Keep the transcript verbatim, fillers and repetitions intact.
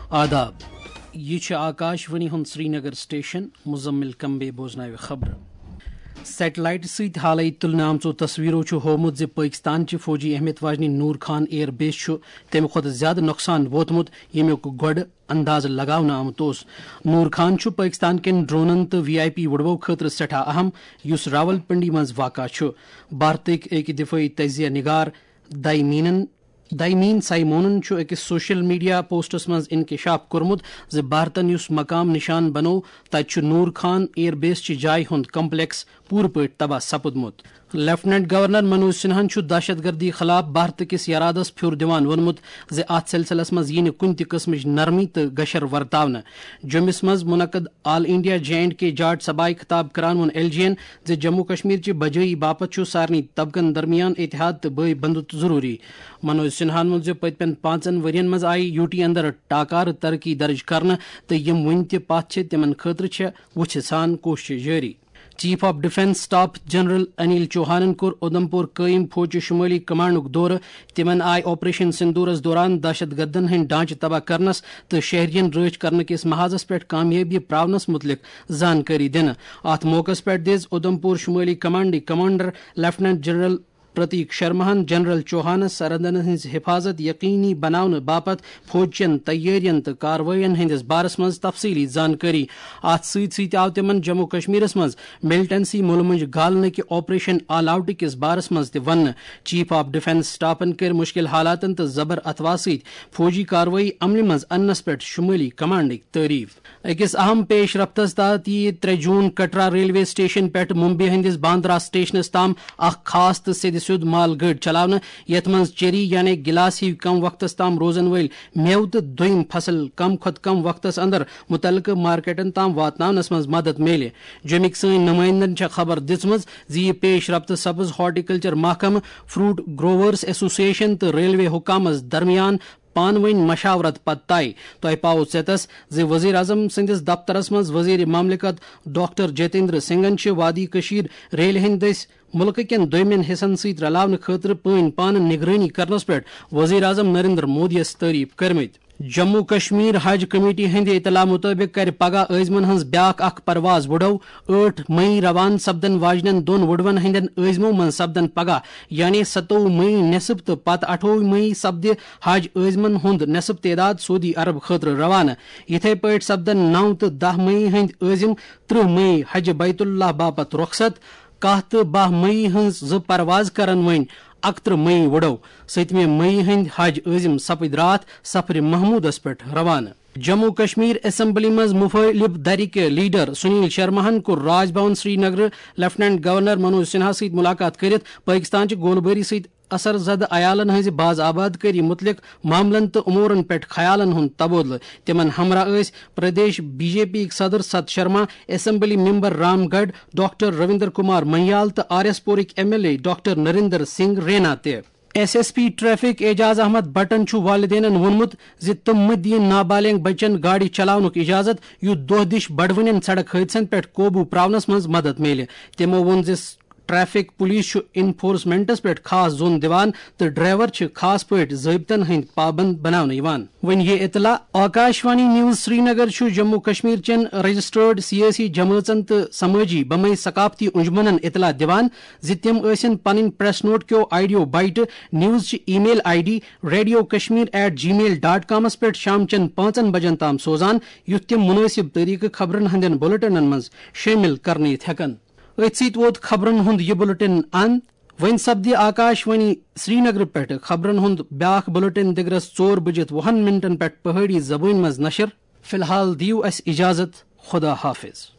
آداب، یہِ چھِ آکاش وانی ہُنٛد سرینگر سٹیشن۔ مزمل کمبے بوزناوِ خبرٕ۔ سیٹلائٹ سۭتۍ حالٕے تُلنہٕ آمژو تصویرو چھُ ہوومُت زِ پٲکستان چہِ فوجی اہمیت واجنہِ نور خان ایئر بیس چھُ تَمہِ کھۄتہٕ زیادٕ نۄقصان ووتمُت، ییٚمیُک گۄڈٕ اندازٕ لگاونہٕ آمُت اوس۔ نور خان چھُ پٲکستان کٮ۪ن ڈرونن تہٕ وی آئی پی وُڈوو خٲطرٕ سٮ۪ٹھاہ اہم، یُس راولپنڈی منٛز واقع چھُ۔ بھارتٕکۍ أکۍ دفٲعی تجزیہ نگار دایمینن دایمین سائمونن چھُ أکِس سوشل میڈیا پوسٹس منٛز انکشاف کوٚرمُت زِ بھارتن یُس مقام نشان بنوو، تتہِ چھُ نور خان ایئر بیس چہِ جایہِ ہُنٛد کمپلیکس پوٗرٕ پٲٹھۍ تباہ سپُدمُت۔ لیفٹیننٹ گورنر منوج سنہاہن چھُ دہشت گردی خلاف بھارت کِس ارادس پھیُر دِوان ووٚنمُت زِ اتھ سلسلس منٛز یِیہِ نہٕ کُنہِ تہِ قٕسمٕچ نرمی تہٕ گشر ورتاونہٕ۔ جوٚمِس منٛز منعقد آل انڈیا جے اینڈ کے جاٹ سبھایہِ خطاب کران ووٚن ایل جی ین زِ جموں کشمیر چہِ بجٲیی باپتھ چھُ سارنٕے طبقن درمیان اتحاد تہٕ بٲے بندُت ضروٗری۔ منوج سنہاہن ووٚن زِ پٔتمٮ۪ن پانٛژن ؤرین منٛز آیہِ یوٗ ٹی اندر ٹاکارٕ ترقی درج کرنہٕ تہٕ یِم وُنہِ تہِ پتھ چھِ، تِمن خٲطرٕ چھےٚ وُژھِ سان کوٗششہٕ جٲری۔ Chief of defence staff general Anil چوہانن کوٚر اودھمپور قٲیِم فوجچہِ شمٲلی کمانڈُک دورٕ۔ تِمن آیہِ آپریشن سندورس دوران دہشت گردن ہٕنٛدۍ ڈھانچہٕ تباہ کرنس تہٕ شہرین رٲچھ کرنہٕ کِس محاذس پٮ۪ٹھ کامیٲبی پراونس مُتعلق زانکٲری دِنہٕ۔ اتھ موقعس پٮ۪ٹھ دِژ اودھمپور شمٲلی کمانڈٕکۍ کمانڈر لیفٹیننٹ جنرل پرتیک شرماہن جنرل چوہانس سرحدن ہٕنٛز حفاظت یقینی بناونہٕ باپتھ فوجچٮ۪ن تیٲرین تہٕ کاروٲیین ہٕنٛدِس بارس منٛز تفصیلی زانکٲری۔ اتھ سۭتۍ سۭتۍ آو تِمن جموں کشمیرس منٛز ملٹنسی مُلہٕ مۄنجہِ گالنہٕ کہِ آپریشن آل آؤٹ کِس بارس منٛز تہِ وننہٕ۔ چیف آف ڈیفنس سٹافن کٔرۍ مُشکل حالاتن تہٕ زبر اتھوا سۭتۍ فوجی کاروٲیی عملہِ منٛز اننس پٮ۪ٹھ شمٲلی کمانڈٕکۍ تعریف۔ أکِس اہم پیش رفتس تحت یِیہِ ترٛےٚ جوٗن کٹرا ریلوے سٹیشن پٮ۪ٹھ ممبئی ہٕنٛدِس باندرا سٹیشنس تام اکھ خاص تہٕ سیٚدِ سیوٚد مال گٲڑۍ چلاونہٕ، یتھ منٛز چیری یعنی گلاس ہِوۍ کم وقتس تام روزن وٲلۍ مٮ۪وٕ تہٕ دوٚیم فصل کم کھۄتہٕ کم وقتس اندر متعلقہٕ مارکیٹن تام واتناونس منٛز مدد میلہِ۔ جوٚمِکۍ سٲنۍ نمائندن چھےٚ خبر دِژمٕژ زِ یہِ پیش رفت سپٕز ہارٹیکلچر محکمہٕ، فروٹ گروورز ایسوسیشن تہٕ ریلوے حکامس درمیان پانہٕ ؤنۍ مشاورت پتہٕ طے۔ تۄہہِ پاوو ژیتس زِ وزیر اعظم سٕنٛدِس دفترس منٛز وزیر مملکت ڈاکٹر جتیندر سنگھن چھِ وادی کشیر ریلہِ ہٕنٛدۍ دٔسۍ مُلکہٕ کٮ۪ن دوٚیمٮ۪ن حصن سۭتۍ رلاونہٕ خٲطرٕ پٲنۍ پانہٕ نگرٲنی کرنس پٮ۪ٹھ وزیر اعظم نریندر مودیَس تعریف کٔرمٕتۍ۔ جموں کشمیر حج کمیٹی ہٕنٛدِ اطلاع مُطٲبِق کَرِ پگاہ عٲزمن ہٕنٛز بیٛاکھ اکھ پرواز وُڈو۔ ٲٹھ مئی روانہٕ سپدن واجنٮ۪ن دۄن وُڈوَن ہٕنٛدٮ۪ن عٲزمو منٛز سپدن پگاہ، یعنی ستووُہ مئی نٮ۪صٕف تہٕ پتہٕ اَٹھووُہ مئی سپدِ حج عٲزمن ہُنٛد نٮ۪صٕف تعداد سعودی عرب خٲطرٕ روانہٕ۔ یِتھے پٲٹھۍ سپدن نَو تہٕ دَہ مئی ہٕنٛدۍ عٲزم ترٕٛہ مئی حج بیت اللہ باپتھ رخصت۔ کاہ تہٕ باہ مئی ہٕنٛز زٕ پرواز کرن وۄنۍ اکترٕہ مئی وُڈو۔ سٔتمہِ مئی ہٕنٛدۍ حج عٲزم سپٕدۍ راتھ سفرِ محمودس پٮ۪ٹھ روانہٕ۔ جموں کشمیر اسمبلی منٛز مخٲلف دھرِ کہِ لیڈر سنیل شرماہن کوٚر راج بھون سرینگرٕ لیفٹیننٹ گورنر منوج سنہا سۭتۍ ملاقات کٔرِتھ پٲکستان چہِ گولہٕ بٲری سۭتۍ اثر زدٕ عیالن ہٕنٛزِ باز آباد کٲری مُتعلق معاملن تہٕ امورن پٮ۪ٹھ خیالن ہُنٛد تبادلہٕ۔ تِمن ہمراہ ٲسۍ پردیش بی جے پی یِکۍ صدر ست شرما، اسمبلی ممبر رام گڑھ، ڈاکٹر رویندر کمار منیال تہٕ آر ایس پورٕکۍ M L A doctor Narinder Singh Raina تہِ۔ S S P traffic Ejaz Ahmad بٹن چھُ والدینن ووٚنمُت زِ تِم مہٕ دِیِن نابالغ بچن گاڑِ چلاونُک اجازت، یُتھ دۄہ دِش بڑوٕنٮ۪ن سڑک حٲدثن پٮ۪ٹھ قوبوٗ پراونس منٛز مدد میلہِ۔ تِمو ووٚن زِ ٹریفک پولیس چھُ انفورسمنٹس پٮ۪ٹھ خاص زون دِوان تہٕ ڈرائیور چھِ خاص پٲٹھۍ ضٲبطن ہٕنٛدۍ پابند بناونہٕ یِوان۔ وۄنۍ یہِ اطلاع آکاش وانی نیوز سرینگر چھُ جموں کشمیر چٮ۪ن رجسٹرڈ سیٲسی جمٲژن تہٕ سمٲجی بمے ثقافتی انجمنن اطلاع دِوان زِ تِم ٲسِن پنٕنۍ پریس نوٹ کیو آڈیو بائٹہٕ نیوز چہِ E mail I D radio Kashmir at G mail dot کامس پٮ۪ٹھ شام چٮ۪ن پانٛژن بجن تام سوزان، یُتھ تِم مُنٲسِب طریقہٕ خبرن ہٕنٛدٮ۪ن بلیٹنن منٛز شٲمِل کرنہٕ یِتھ ہٮ۪کن۔ أتھۍ سۭتۍ ووت خبرن ہُنٛد یہِ بلیٹن اند۔ وۄنۍ سپدِ آکاش وانی سرینگرٕ پٮ۪ٹھٕ خبرن ہُنٛد بیٛاکھ بلیٹن دِگرس ژور بجِتھ وُہن منٹن پٮ۪ٹھ پہٲڑی زبٲنۍ منٛز نشر۔ فی الحال دِیِو اسہِ اجازت۔ خدا حافظ۔